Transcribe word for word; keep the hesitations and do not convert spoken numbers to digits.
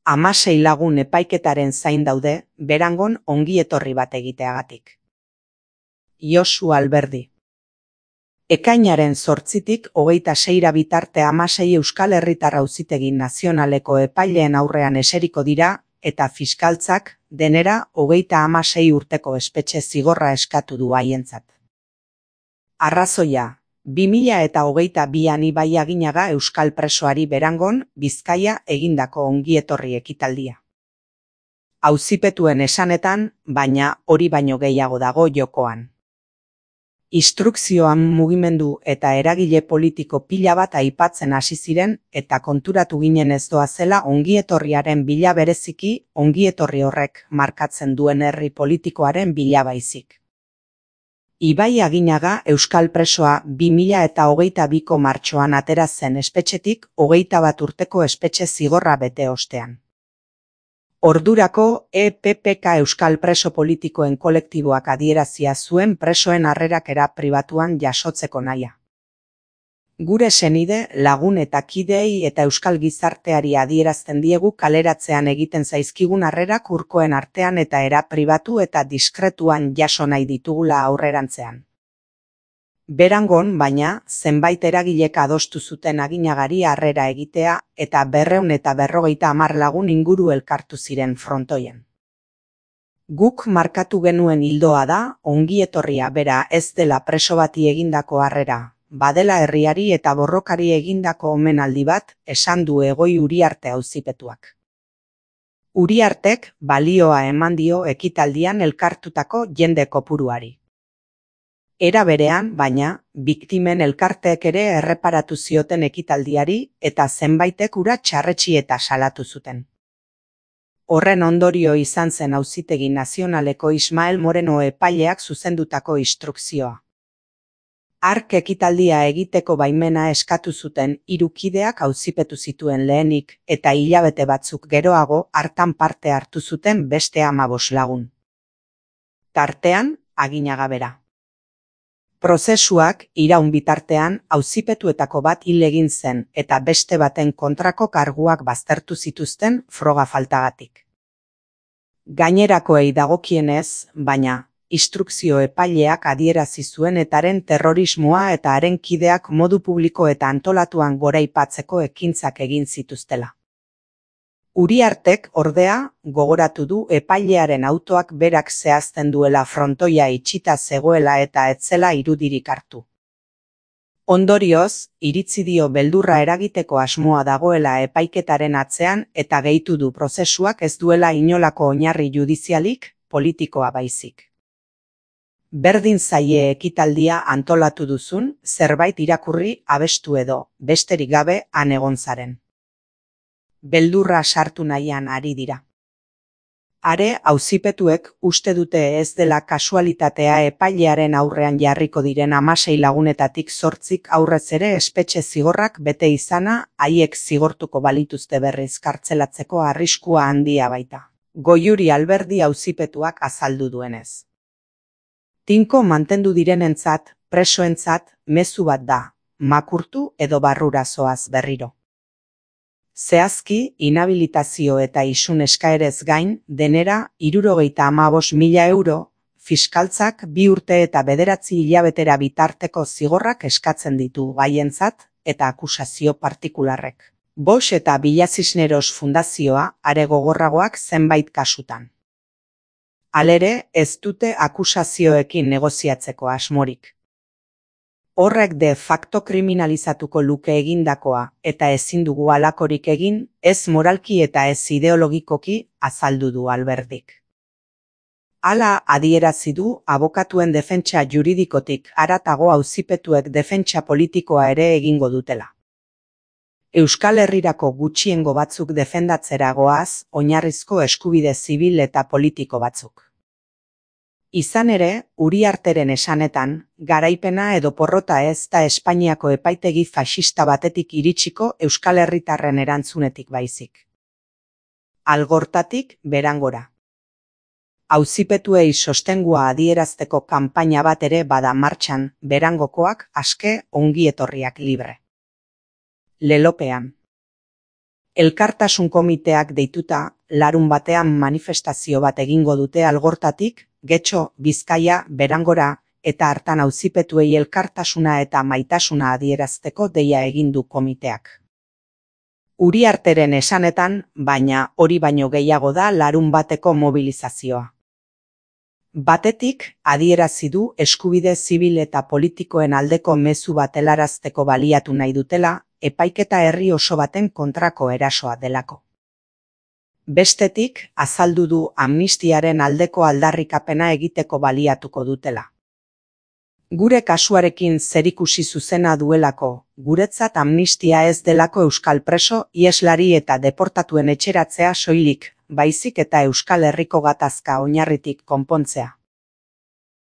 Hamasei lagun epaiketaren zain daude, Berangon ongi etorri bat egiteagatik. Josu Alberdi. Ekainaren zortzitik hogeita seira bitarte hamasei Euskal Herritar Auzitegi Nazionaleko epaileen aurrean eseriko dira eta fiskaltzak denera hogeita hamasei urteko espetxe zigorra eskatu du haientzat. Arrazoia, bi mila eta hogeita bian Ibai Aginaga euskal presoari Berangon, Bizkaia egindako ongietorri ekitaldia. Auzipetuen esanetan, baina hori baino gehiago dago jokoan. Instrukzioan mugimendu eta eragile politiko pila bat aipatzen hasi ziren eta konturatu ginen ez doazela ongietorriaren bila bereziki ongietorri horrek markatzen duen herri politikoaren bila baizik. Ibai Aginaga euskal presoa bi mila eta hogeita biko martxoan atera zen espetxetik hogeita bat urteko espetxe zigorra bete ostean. Ordurako E P P K euskal preso politikoen kolektiboak adierazia zuen presoen harrerakera pribatuan jasotzeko nahia. Gure senide, lagun eta kideei eta euskal gizarteari adierazten diegu kaleratzean egiten zaizkigun harrerak urkoen artean eta era pribatu eta diskretuan jaso nahi ditugula aurrerantzean. Berangon, baina, zenbait eragilek adostu zuten Aginagari harrera egitea eta berrehun eta berrogeita hamar lagun inguru elkartu ziren frontoien. Guk markatu genuen ildoa da, ongietorria bera ez dela preso bati egindako harrera, badela herriari eta borrokari egindako omenaldi bat, esan du Egoi Uriarte auzipetuak. Uriartek balioa eman dio ekitaldian elkartutako jende kopuruari. Era berean, baina, biktimen elkarteek ere erreparatu zioten ekitaldiari eta zenbaitek ura txarretsi eta salatu zuten. Horren ondorio izan zen Auzitegi Nazionaleko Ismael Moreno epaileak zuzendutako instrukzioa. Hark ekitaldia egiteko baimena eskatu zuten hiru kideak auzipetu zituen lehenik eta hilabete batzuk geroago hartan parte hartu zuten beste hamabost lagun. Tartean, Aginaga bera. Prozesuak iraun bitartean auzipetuetako bat hil egin zen eta beste baten kontrako karguak baztertu zituzten froga faltagatik. Gainerakoei dagokienez, baina, instrukzio epaileak adierazi zuen etaren terrorismoa eta haren kideak modu publiko eta antolatuan goraipatzeko ekintzak egin zituztela. Uriartek, ordea, gogoratu du epailearen autoak berak zehazten duela frontoia itxita zegoela eta etzela irudirik hartu. Ondorioz, iritzi dio beldurra eragiteko asmoa dagoela epaiketaren atzean eta gehitu du prozesuak ez duela inolako oinarri judizialik, politikoa baizik. Berdin zaie ekitaldia antolatu duzun, zerbait irakurri abestu edo, besterik gabe han egon zaren. Beldurra sartu nahian ari dira. Are, auzipetuek uste dute ez dela kasualitatea epailearen aurrean jarriko diren hamasei lagunetatik zortzik aurrez ere espetxe zigorrak bete izana haiek zigortuko balituzte berriz kartzelatzeko arriskua handia baita. Goiuri Alberdi auzipetuak azaldu duenez. Tinko mantendu direnentzat, presoentzat, mezu bat da, makurtu edo barrura zoaz berriro. Zehazki, inhabilitazio eta isun eskaerez gain, denera hirurogeita hamabost mila euro, fiskaltzak bi urte eta bederatzi hilabetera bitarteko zigorrak eskatzen ditu gaientzat eta akusazio partikularrek. Bosch eta Villa Cisneros Fundazioa are gogorragoak zenbait kasutan. Halere, ez dute akusazioekin negoziatzeko asmorik. Horrek de facto kriminalizatuko luke egindakoa eta ezin dugu halakorik egin, ez moralki eta ez ideologikoki, azaldu du Alberdik. Hala adierazi du abokatuen defentsa juridikotik haratago auzipetuek defentsa politikoa ere egingo dutela. Euskal Herrirako gutxiengo batzuk defendatzera goaz, oinarrizko eskubide zibil eta politiko batzuk. Izan ere, Uriarteren esanetan, garaipena edo porrota ez da Espainiako epaitegi faxista batetik iritsiko Euskal Herritarren erantzunetik baizik. Algortatik Berangora. Auzipetuei sostengua adierazteko kanpaina bat ere bada martxan, Berangokoak aske ongietorriak libre. Lelopean. Elkartasun komiteak deituta, larun batean manifestazio bat egingo dute Algortatik, Getxo, Bizkaia, Berangora, eta hartan auzipetuei elkartasuna eta maitasuna adierazteko deia egin du komiteak. Uriarteren esanetan, baina hori baino gehiago da larun bateko mobilizazioa. Batetik, adierazi du eskubide zibil eta politikoen aldeko mezu bat helarazteko baliatu nahi dutela, epaiketa herri oso baten kontrako erasoa delako. Bestetik, azaldu du amnistiaren aldeko aldarrikapena egiteko baliatuko dutela. Gure kasuarekin zerikusi zuzena duelako, guretzat amnistia ez delako euskal preso, iheslari eta deportatuen etxeratzea soilik, baizik eta Euskal Herriko gatazka oinarritik konpontzea.